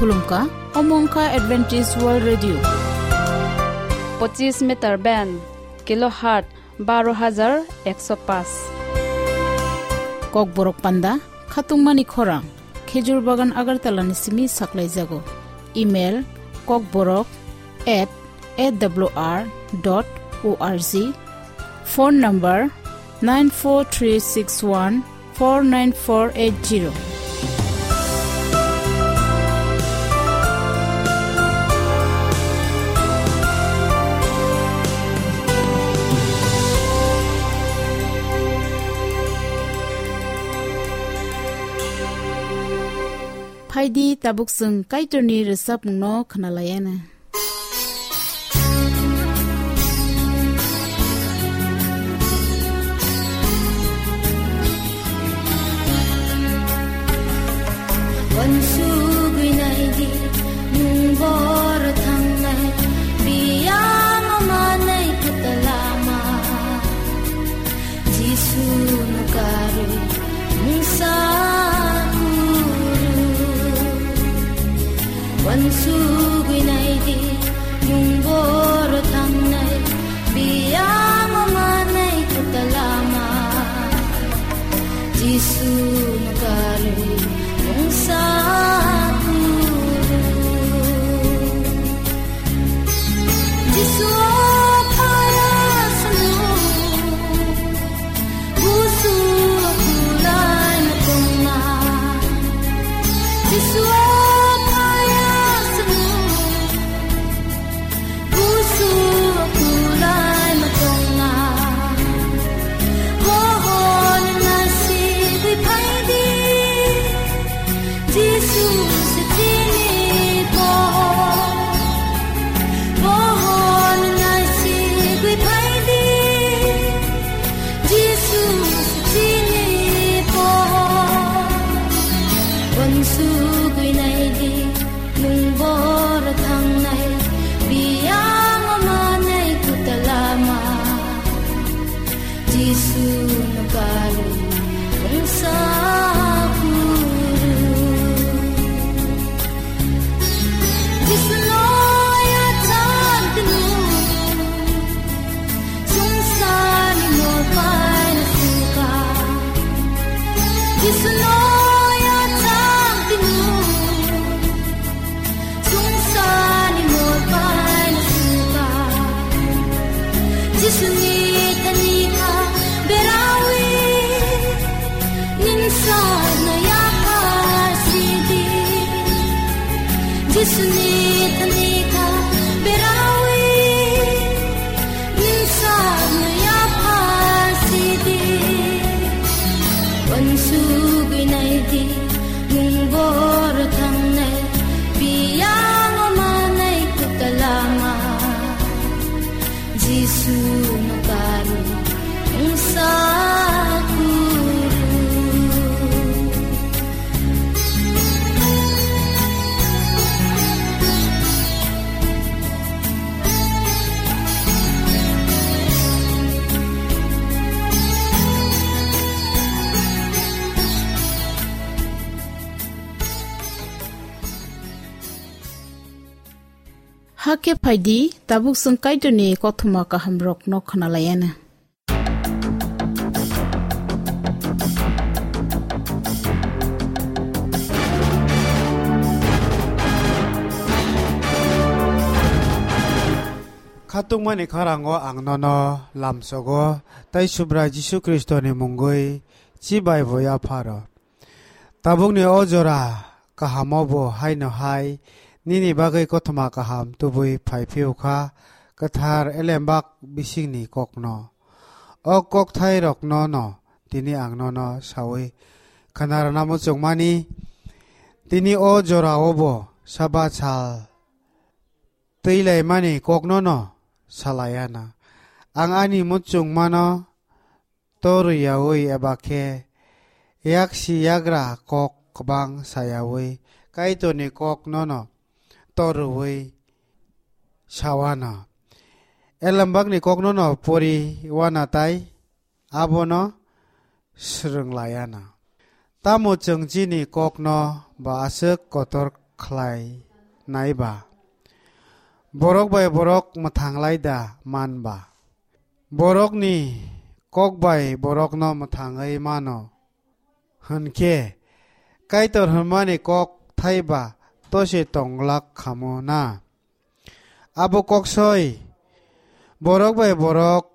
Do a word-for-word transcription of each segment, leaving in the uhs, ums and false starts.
Khulumkha, omo wngkha Adventist World Radio. Pochis meter band, kilohertz baro hajar ekso paanch. Kokborok panda, khatungmani khorang, Khejur Bagan Agartala ni simi saklaijago. Email, kokborok at A W R dot O R G. Phone number, nine four three six one four nine four eight zero. Phaidi, tabuk chwng Kaitorni rwchapmungno khwnalaiana. Uansugwi naidi, nwng bor thangnai, biyang manai kwtal lama. Jisu no karwi mungsa kuru. Uansugwi naidi, nwng bor thangnai, biyang manai kwtal lama. Jisu no karwi mungsa kuru. Jisu o phaya swngo, busu o kulai ma tongna. Jisu o phaya swngo, busu o kulai ma tongna. Bohor nasi di phaidi. Jisu se chini po, pohor nai sigwi phaidi. Jisu se chini po, uansugwi naidi, nwng bor thangnai, biyang manai kwtal lama. Jisu no karwi mungsa kuru. Jisu no yachang tnu, sungsani mol paina suka. Jisu no yachang tnu, sungsani mol paina suka. Jisuni thani kha berawi, nini sakno yaphar sidi. Jisuni thani kha berawi, nini sakno yaphar sidi. Uansugwi naidi, nwng bor thangnai, biyang manai kwtal lama. Jisu no karwi mungsa kuru. Hakhe phaidi, tabuk chwng Kaitorni kothoma kahamrokno khwnalaiana. Khatungmani khorang o ang nono lamsogo, tei Subrai Jisu Khristoni mungwi chibai bo yapharo. Tabukni o jora kahamo bo haino hai nini bagwi kothoma kaham tubui phai phiyokha, kwthar elembak bisingni kokno. O kokthairokno no tini ang nono saui khwnarwna muchungmani, tini o jorao bo saba sal twi laimani kokno no salaiana. Ang ani muchungmano torwi yaui eba khe yaksi yagra kok kwbang sayaui Kaitorni kok nono torwi sawana. Elembakni kok nono pori wana tai abono swrwng laiana. Tamo chwng chini kokno ba aswk kotor khlai nai ba? Borok bai borok mwthang lai da man ba? Borokni kok bai borokno mwthangwi mano hwn khe, Kaitor hwnmani kok thai ba to se tong glak khamu na? Abo kok soi, borok bai borok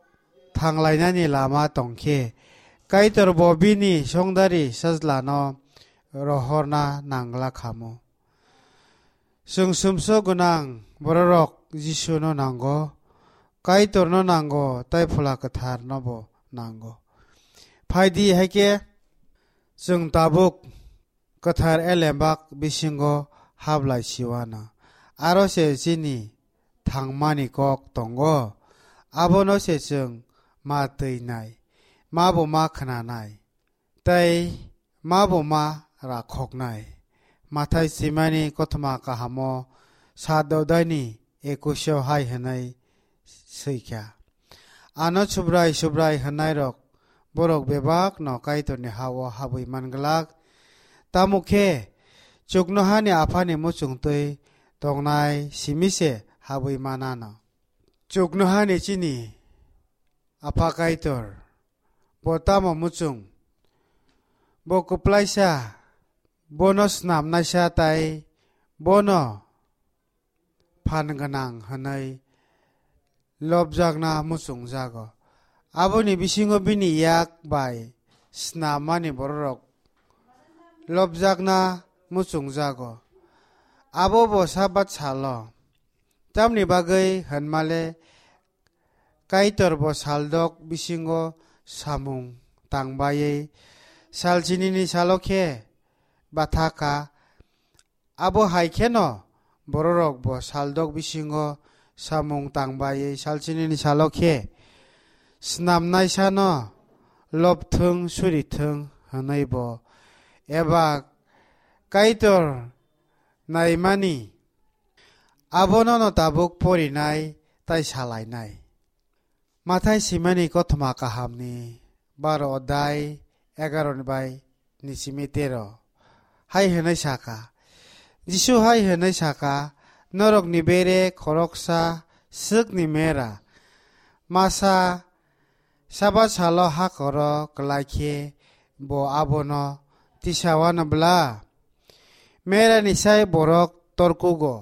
thang lainani lama tong khe, Kaitor bo bini songdari sajlano rohorna nang glak khamu. Chwng sumsok gwnang bororok Jisuno nango, Kaitorno nango, tei Phola Kwtharnobo nango. Phai di, hai khe chwng tabuk kwthar elembak bisingo hap lai siwano. Aro se chini thangmani kok tongo, abono se chwng ma twinai, ma bo ma khnanai, tei ma bo ma rakhoknai. Mathai swimani kothoma kahamo saat odaini ekusio hai hwnwi swi kha: Ano Subrai, Subrai hwnnairok, borok bebak'-no Kaitorni ha-o habwi man glak, tamo khe chuknohani Aphani muchung twi tongnai simi se habwi man anw. Chuknohani chini Apha Kaitor, bo tamo muchung? Bo kwplaisa, bono snamnaisa tei bono phan gwnang hwnwi lobjakna muchungjago. Aboni bisingo bini yak bai snamani bororok lobjakna muchungjago. Abo bo Sabat salo. Tamni bagwi hwnmale Kaitor bo saldok bisingo samung tangbaiwi salchinini salo khe batha kha. Abo hai kheno bororok bo saldok bisingo samung tangbaiwi salchinini salo khe snamnaisano lobthwng surithwng hwnwi bo eba Kaitor naimani abono no tabuk porinai tai salainai. Mathai swimani kothoma kahamni baro odai egaro ni bai ni simi tero hai hwnwi saka, Jisu hai hwnwi saka, Norokni bere khoroksa swkni mera masa Sabat salo hakoro kwlai khe bo abono tisawano bla? Merani sai borok torkugo.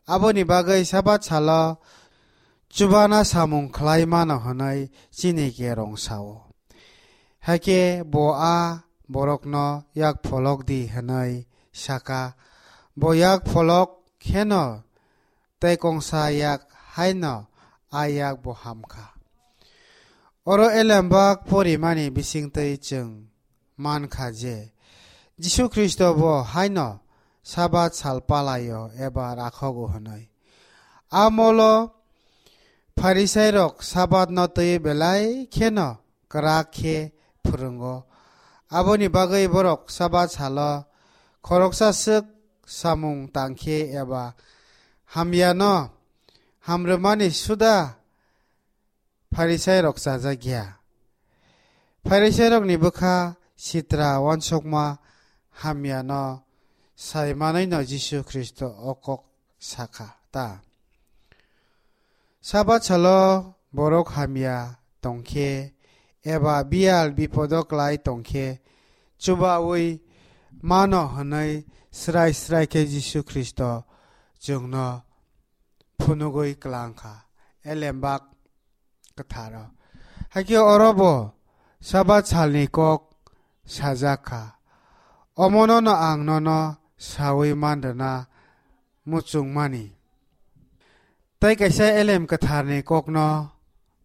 Aboni bagwi Sabat salo chubana samung khlai mano hwnwi chini kerong sao. Hakhe bo a borokno yak pholok di hwnwi saka. Bo yak pholok kheno tei kongsa yak haino a yak bo ham kha. Oro elembak porimani bisingtwi chwng man kha je Jisu Khristo bo haino Sabat sal palaio eba rakhogo hwnwi. A molo Pharisairok Sabatno twi belai kheno kwrak khe phwrwngo. Aboni bagwi borok Sabat salo khoroksa swk samung tang khe eba hamyano hamrwmani suda Pharisairok chajak ya. Pharisairokni bwkha sitra uansukma hamyano sai manwino Jisu Khristo o kok sakha ta. Sabat salo borok hamya tongkhe eba biyal bipodo klai tongkhe chubaui mano hwnwi srai srai khe Jisu Khristo chwngno phunugwi klang kha. Elembak kwtharo. Hakhe oro bo Sabat salni kok sajak kha. Omono no ang nono saui man rwna muchungmani. Tei kaisa elem kwtharni kokno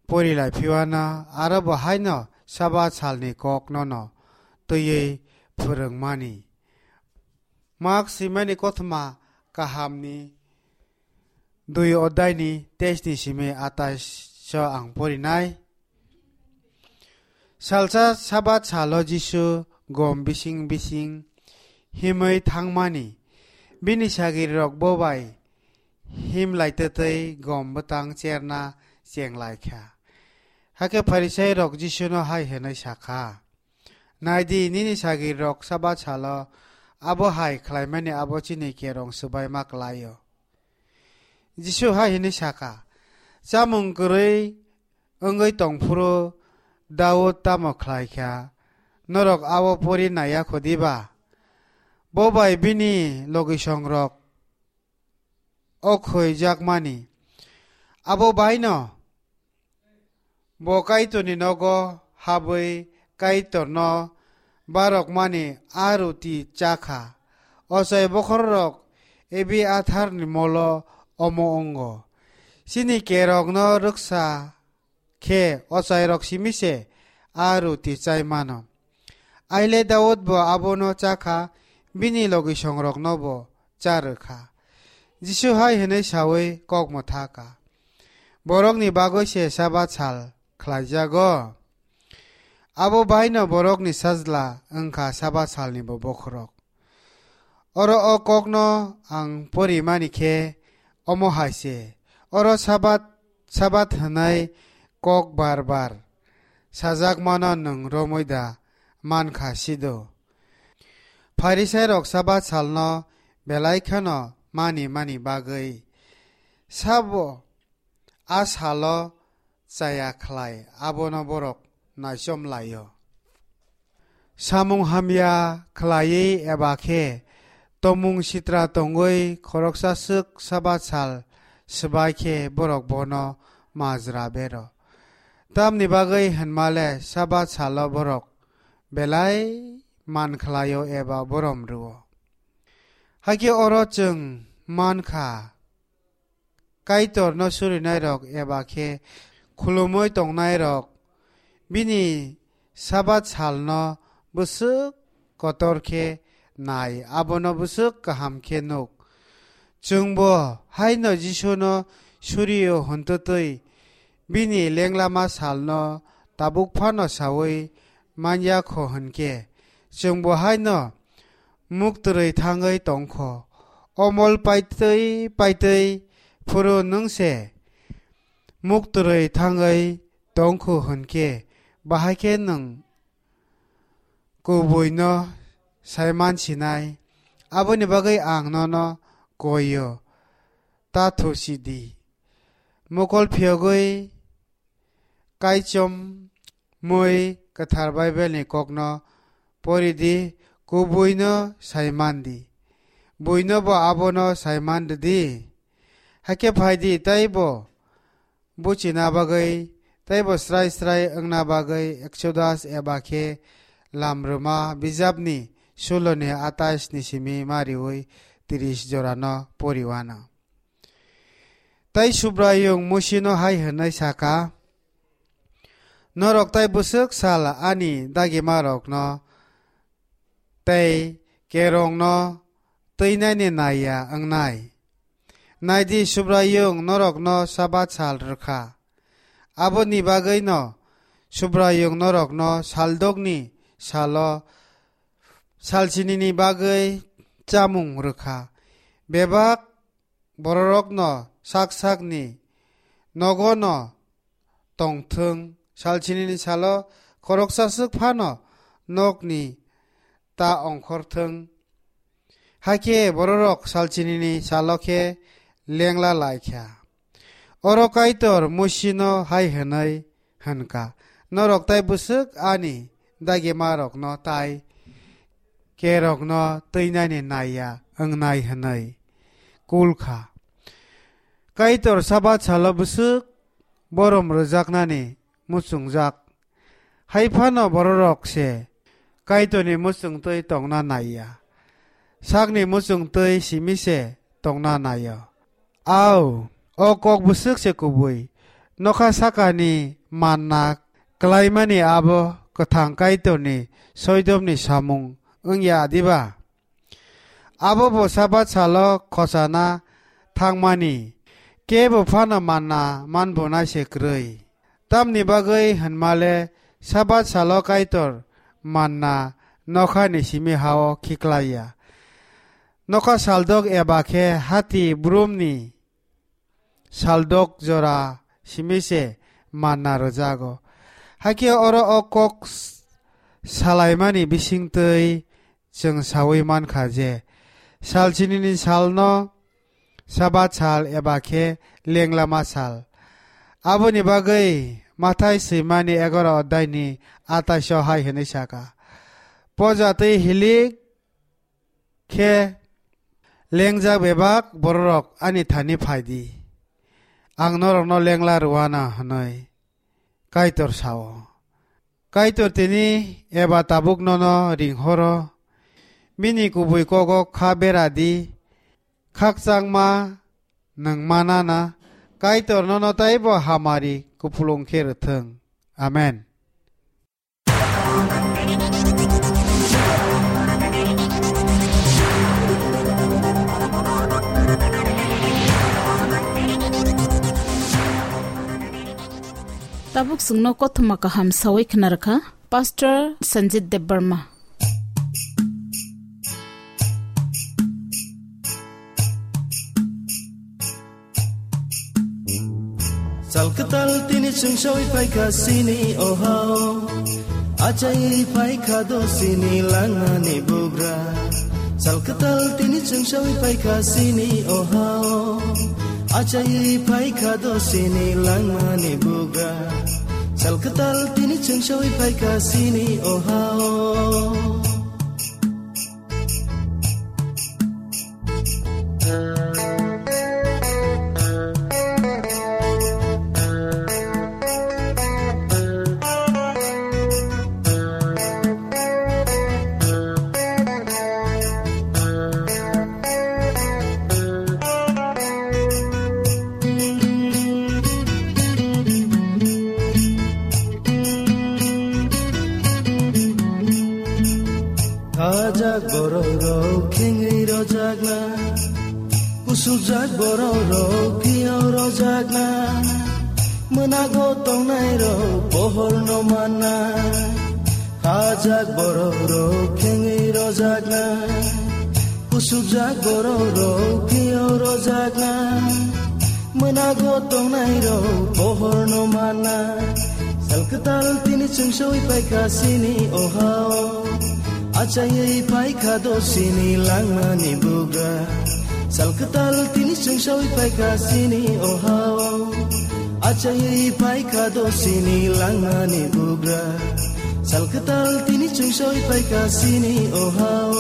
pori lai phiwana aro bo haino Sabat salni kokno no twiwi phwrwngmani. Mak swimani kothoma kahamni dui odai ni teis ni simi atais o ang porinai. Salsa Sabat salo Jisu gom bising bising himwi thangmani, bini sagiri rok bo bai him lai twtwi gom bwtang cherna cheng lai kha. Hakhe Pharisai rok Jisu no hai hwnwi sa kha, Nai di, nini sagiri rok Sabat salo abo hai khlaimani abo chini kerong swbaima klai-o. Jisu hai hwnwi sa kha, "Chamung kwrwi wngwi tong phuru Daud tamo khlai kha? Norok abo pori nai ya kho diba? Bo bai bini logisongrok o khoijakmani. Abo bai'-no bo Kaitorni nogo habwi Kaitorno barokmani a ruti cha kha. Ochai bokhorok Ebiatharni molo omo wngo. Chini kerokno rwksa khe ochairok simi se a ruti chai mano. Aile Daudbo abono cha kha, bini logisongroknobo cha rw kha." Jisu hai hwnwi saui kok mwtha kha, "Borokni bagwi se Sabat sal khlaijago. Abo bai'-no borokni sajla wng kha Sabat salnibo bokhorok." Oro o kokno ang porimani khe omo hai se, oro Sabat, Sabat hwnwi kok bar bar sajakmano nwng romwi da man kha sido? Pharisairok Sabat salno belai kheno mani mani bagwi sabo a salo chaya khlai abono borok naichom lai-o. Samung hamya khlaiwi eba khe tomung sitra tongwi khoroksa swk Sabat sal swbai khe borok bono majra bero. Tamni bagwi hwnmale Sabat salo borok belai man khlai-o eba borom rw-o. Hakhe oro chwng man kha, Kaitorno surinairok eba khe khulumwi tongnairok bini Sabat salno bwswk kotor khe nai, abono bwswk kaham khe nuk. Chwngbo haino Jisuno suri-o hwntwtwi bini lenglama salno tabuk phano saui man ya kho hwn khe, chwngbo haino muk twrwi thangwi tong kho. O mol paitwi paitwi phuru nwng se muk twrwi thangwi tong kho hwn khe, bahai khe nwng kubuino sai man sinai. Aboni bagwi ang nono koi-o, ta thusi di. Mokol phiyogwi kaichom mui kwthar Bible ni kokno pori di, kubuino sai man di. Buino bo abono sai man rw di. Hakhe phai di, tei bo buchina bagwi, tei bo srai srai wngna bagwi Exodus eba khe Lamrwma bijapni suloni atais ni simi mariui tris jorano poriwano. Tei Subraiyung Musino hai hwnwi sa kha, "Norok tai bwswk sal ani dagimarokno tei kerongno twinani nai ya wngnai. Nai di, Subraiyung norokno Sabat sal rw kha. Aboni bagwino Subraiyung norokno saldokni salo salchinini bagwi chamung rw kha. Bebak bororokno sak sakni nogono tong thung, salchinini salo khoroksa swk phano nokni ta ongkhor thung." Hakhe bororok salchinini salo khe lengla lai kha. Oro Kaitor Musino hai hwnwi hwn kha, "Norok tai bwswk ani dagimarokno tai kerokno twinani nai ya wngnai," hwnwi kul kha. Kaitor Sabat salo bwswk borom rwjaknani muchungjak. Hai phano bororok se Kaitorni muchungtwi tongna nai ya. Sakni muchungtwi simi se tongna nai-o. Au, o kok bwswk se kubui. Nokha sakani manna klaimani abo kwthang Kaitorni soidomni samung wng ya diba? Abo bo Sabat salo khosana thangmani, kebo phano manna manbunai se kwrwi. Tamni bagwi hwnmale Sabat salo Kaitor manna nokhani simi ha-o khiklai ya. Nokha saldok eba khe hati brumni saldok jora simi se manna rwjago. Hakhe oro o kok s-, salaimani bisingtwi chwng saui mankha je, sal chinini salno Sabat sal eba khe lenglama sal. Aboni bagwi Mathai swimani egaro oddaini atais o hai hwnwi saka, "Poja twi hilik khe lengjak bebak bororok ani thani phai di, ang norokno lengla rwna," hwnwi Kaitor sao. Kaitor tini eba tabuk nono ringhoro, bini kubui kogo kha bera di, khakchangma nwng manana, Kaitor nono taibo hamari kupulung khe rwthwng. Amen. Tabuk chwngno kothoma kaham sawi khna rwkha Pastor Sanjit Debbarma. Sal kwtal tini chwng sawi phaikha sini o hao. Achai phaikha do sini langmani bugra. Sal kwtal tini chwng sawi phaikha sini o hao. Achai phaikha do sini langmani bugra. Sal kwtal tini chwng sawi phaikha sini o hao. Khajak borok rok khengwi rojakna, kusukjak borok rok phiyok rojakna, mwnago tongnai rok pohor no manna. Khajak borok rok khengwi rojakna, kusukjak borok rok phiyok rojakna, mwnago tongnai rok pohor no manna. Sal kwtal tini chwng sawi phaikha sini o hao. Achaiwi phaikha do sini langmani bugra. Sal kwtal tini chwng sawi phaikha sini o hao. Achaiwi phaikha do sini langmani bugra. Sal kwtal tini chwng sawi phaikha sini o hao.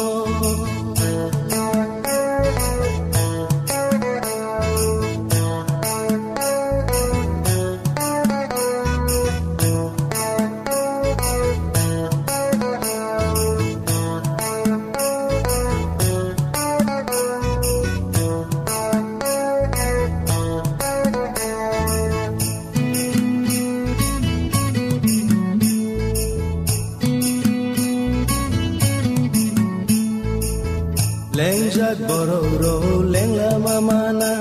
Lengjak borok rok lengla ma mana,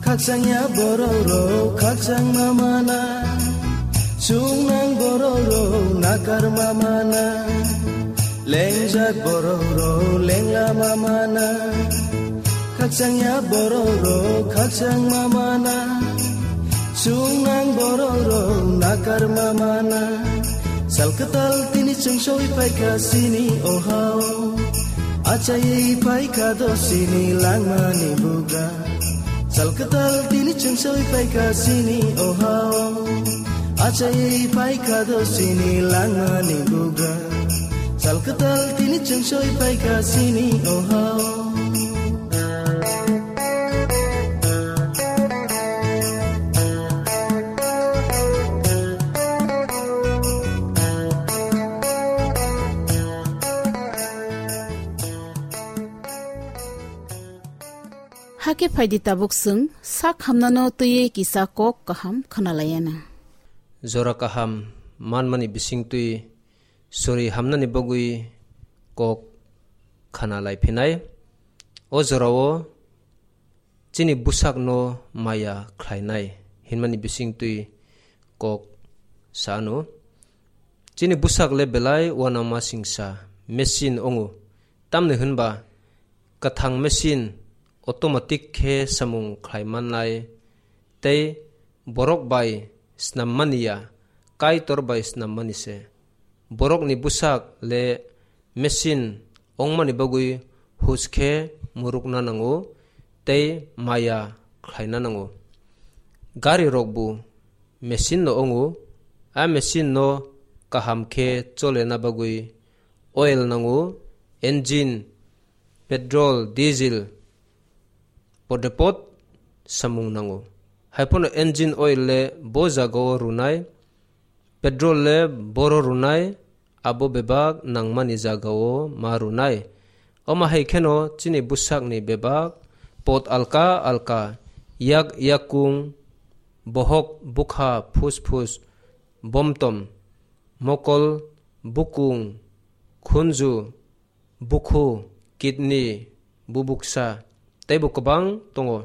khakchangya borok rok khakchang ma mana, chungnang borok rok nakar ma mana. Lengjak borok rok lengla ma mana, khakchangya borok rok khakchang ma mana, chungnang borok rok nakar ma mana. Sal kwtal tini chwng sawi phaikha sini o hao. Achaiwi phaikha do sini langmani bugra. Sal kwtal tini chwng sawi phaikha sini o hao. Achaiwi phaikha do sini langmani bugra. Sal kwtal tini chwng sawi phaikha sini o hao. Hakhe phaidi tabuk chwng sak hamnano twiwi kisa kok kaham khwnalaiyana. Jora kaham manmani bisingtwi sori hamnani bagwi kok khana lai phinai. O jorao chini bwsakno maya khlainai hinmani bisingtwi kok sano. Chini bwsak le belai uanama singsa machine wngo, tamni hwnba kwthang machine automatic khe samung khlai mannai, tei borok bai snam mani ya, Kaitor bai snam mani se. Borokni bwsak le machine wngmani bagwi hus khe murukna nango tei maya khlaina nango. Gari rokbo machine no wngo, a machine no kaham khe cholena bagwi oil nango, engine, petrol, diesel, podepot samung nango. Haiphano engine oil le bo jagao rwnai, petrol le boro rwnai, abo bebak nangmani jagao ma rwnai. Omo hai kheno chini bwsakni bebak pot alka alka, yak yakung, bohok bukha, phus phus, bomtom, mokol, bukung, khunju, bukhu, kidney, bubuksa, teibo kwbang tongo.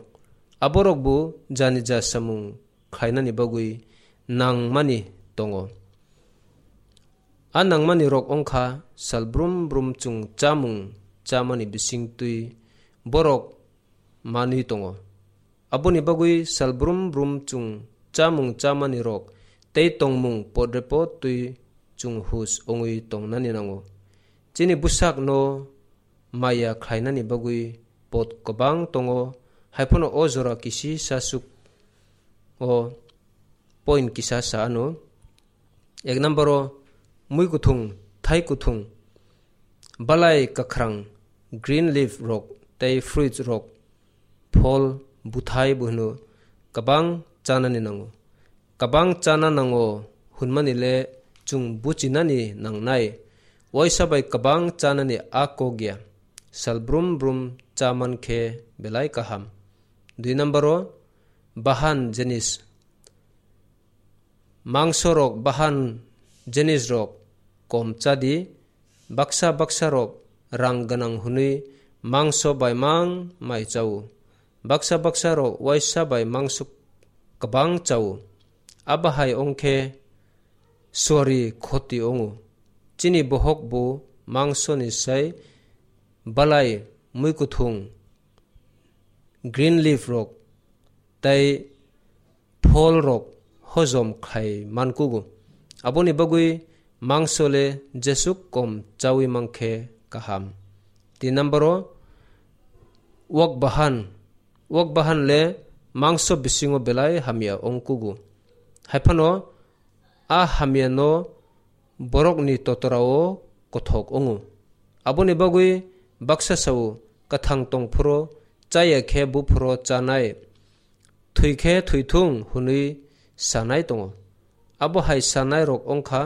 Aborokbo jani ja samung khlainani bagwi nangmani tongo. A nangmani rok wngkha sal brum brum chwng chamung chamani bisingtwi borok manwi tongo. Aboni bagwi sal brum brum chwng chamung chamani rok tei tongmung podrepot twi chwng hus wngwi tongnani nango. Chini bwsakno maya khlainani bagwi pot kwbang tongo, haiphano o jora kisi sasuk o point kisa sa ano. Ek number o mui kuthung, thai kuthung, balai kwkhrang, green leaf rok tei fruits rok, phol, buthai bo hwno kwbang chanani nango. Kwbang chana nango hwnmani le chwng buchinani nangnai. Waisa bai kwbang chanani a kok ya. Sal brum brum cha man khe belai kaham. Dui number o bahan jenis. Mangso rok bahan jenis rok kom chadi, baksa baksa rok rang gwnang hwnwi mangso bai mang mai chao. Baksa baksa rok waisa bai mangso kwbang chao. Abo hai wngkhe suari khoti wngo. Chini bohok bo mangso ni sai balai muikuthung, green leaf rok tei phol rok hojom khai mankugo. Aboni bagwi mangso le jesuk kom chawi mankhe kaham. Tin number o wak bahan. Wak bahan le mangso bisingo belai hamya ongkugo. Haiphano a hamya no borokni totorao kothok wngo. Aboni bagwi baksa sao kwthang tongphuru chaya khe buphuru chanai, thwi khe thwithung hwnwi sanai tongo. Abo hai sanai rok wngkha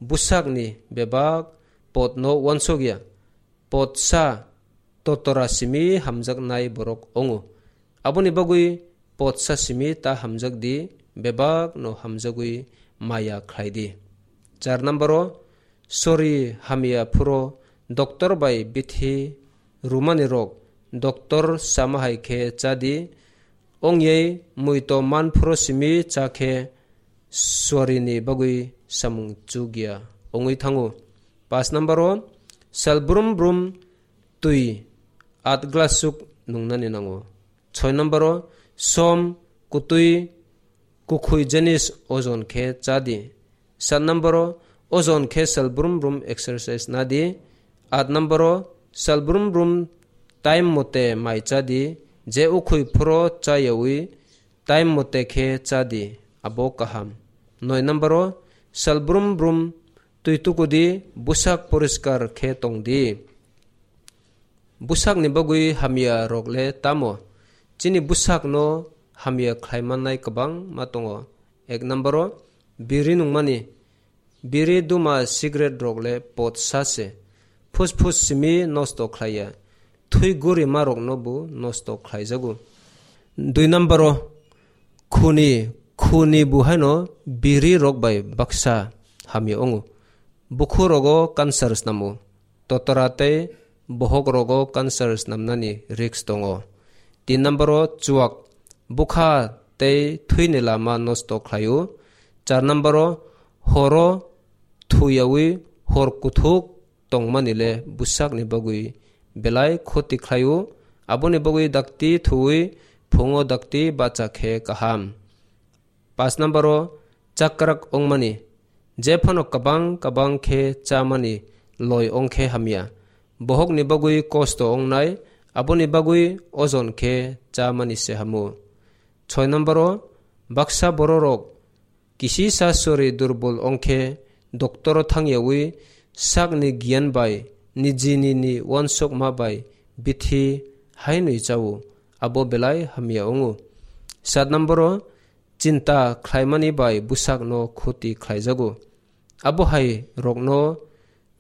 bwsakni bebak potno uansukya, potsa totora simi hamjaknai borok wngo. Aboni bagwi potsa simi ta hamjak di, bebak no hamjagwi maya khlai di. Char number o sori hamya phuro doctor bai bithi rumani rok doctor sama hai khe cha di. Ongye muito man phuro simi cha khe sori ni bagwi samung chukya ongwi thango. Pas number o sal brum brum twi at glass suk nungnani nango. Choi number o som kutwi kukhui jenis ojon khe cha di. Sat number o ojon khe sal brum brum exercise na di. At number o sal brum brum time mote mai cha di. Je ukhui phuro cha yawi time mote khe cha di, abo kaham. Noi number o sal brum brum twi tukudi, bwsak poriskar khe tong di. Bwsakni bagwi hamya rok le tamo? Chini bwsakno hamya khlai mannai kwbangma tongo. Ek number o biri nungmani. Biri duma cigarette rok le pot sa se. Phus phus simi nosto khlaiya. Thwi gurima rokno bo nosto khlaijago. Dui number o khuni, khuni bo haino biri rok bai baksa hamya wngo. Bukhu rogo cancer snamo. Totora tei bohok rogo cancer snamnani risk tongo. Tin number o chuak, bukha tei thwini lama nosto khlaio. Char number o horo thuyawi hor kuthuk tongmani le bwsakni bagwi belai khoti khlaio. Aboni bagwi dakti thuwi phungo dakti bacha khe kaham. Pas number o chakrak wngmani. Jephano kwbang kwbang khe chamani loi wngkhe hamya. bohokni bagwi kosto wngnai, aboni bagwi ojon khe chamani se hamo. Soi nomboro, baksa bororok kisisa sori durbol ongkhe doktoro thangyawi sakni giyan bai nijini ni wansokma bai bithi hainwi chao, abo belai hamya wngo. Sat nomboro, chinta khlaimani bai bwsakno khoti khlaijago. Abo hai rokno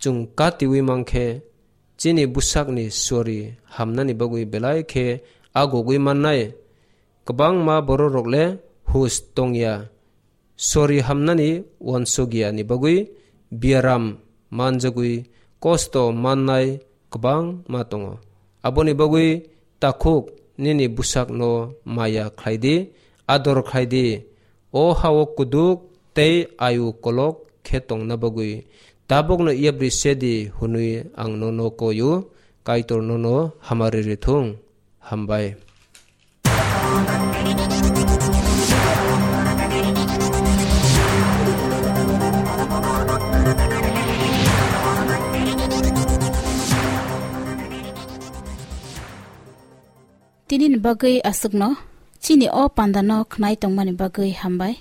chwng katiwi mankhe, chini bwsakni sori hamnani bagwi belai khe agogwi mannai. Kwbangma bororok le hus tongya, sori hamnani wansukya ni bagwi biaram manjagwi kosto mannai kwbangma tongo. Aboni bagwi takhuk nini bwsakno maya khlai di, ador khlai di. O hao kuduk tei ayu kolok khe tongna bagwi tabukno yapri se di hwnwi ang nono koio, Kaitor nono hamari rithung. Hambai. Tini ni bagwi aswkno, chini o panda no khnai tongmani bagwi hambai.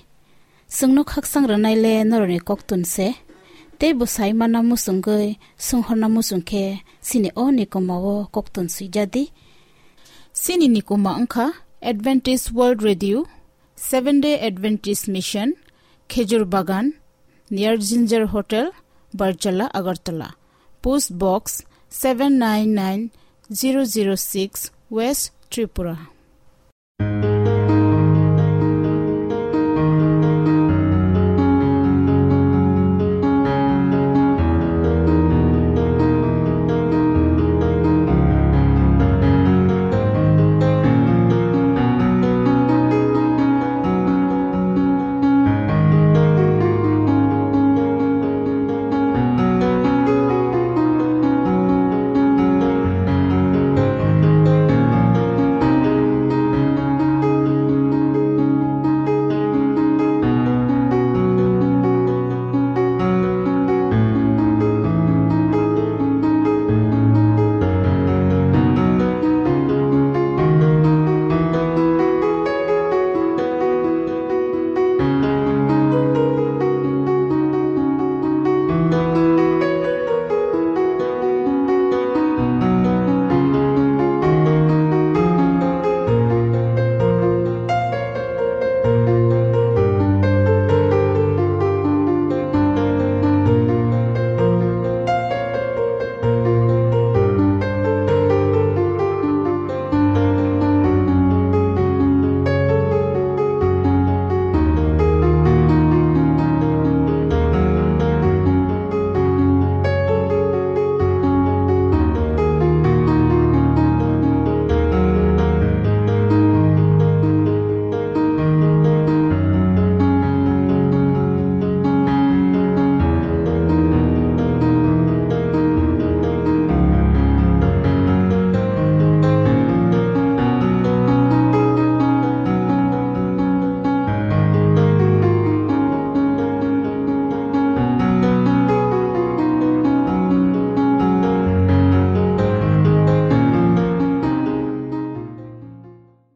Chwngno khaksang rwnai le norokni koktun se, tei bwsai manna muchungwi swnghorna muchung khe chini o nikoma o koktun swijadi. Chini nikoma wngkha Adventist World Radio, Seventh Day Adventist Mission, Khejur Bagan, near Ginger Hotel, Barjala, Agartala. Post Box seven nine nine zero zero six, West Tripura.